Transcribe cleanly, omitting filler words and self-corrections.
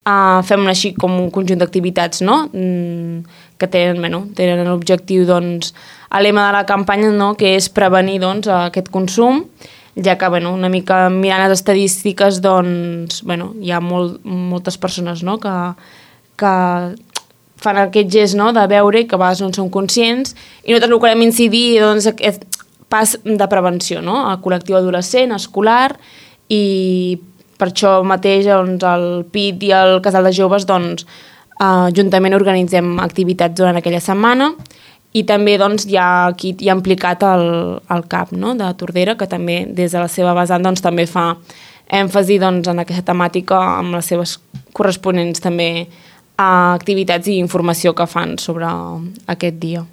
Fem així com un conjunt d'activitats, no? Que tenen l'objectiu, doncs, el lema de la campanya, no? Que és prevenir, doncs, aquest consum, ja que, una mica mirant les estadístiques, doncs, hi ha moltes persones, no? Que fan aquest gest, no? De veure que a vegades no en són conscients, i nosaltres el que volem incidir, doncs, aquest pas de prevenció, no? El col·lectiu adolescent, escolar, i per això mateix doncs, el PIT i el Casal de Joves doncs, juntament organitzem activitats durant aquella setmana, i també doncs, hi ha implicat el CAP, no? De Tordera, que també des de la seva vessant doncs, també fa èmfasi doncs, en aquesta temàtica amb les seves corresponents també activitats i informació que fan sobre aquest dia.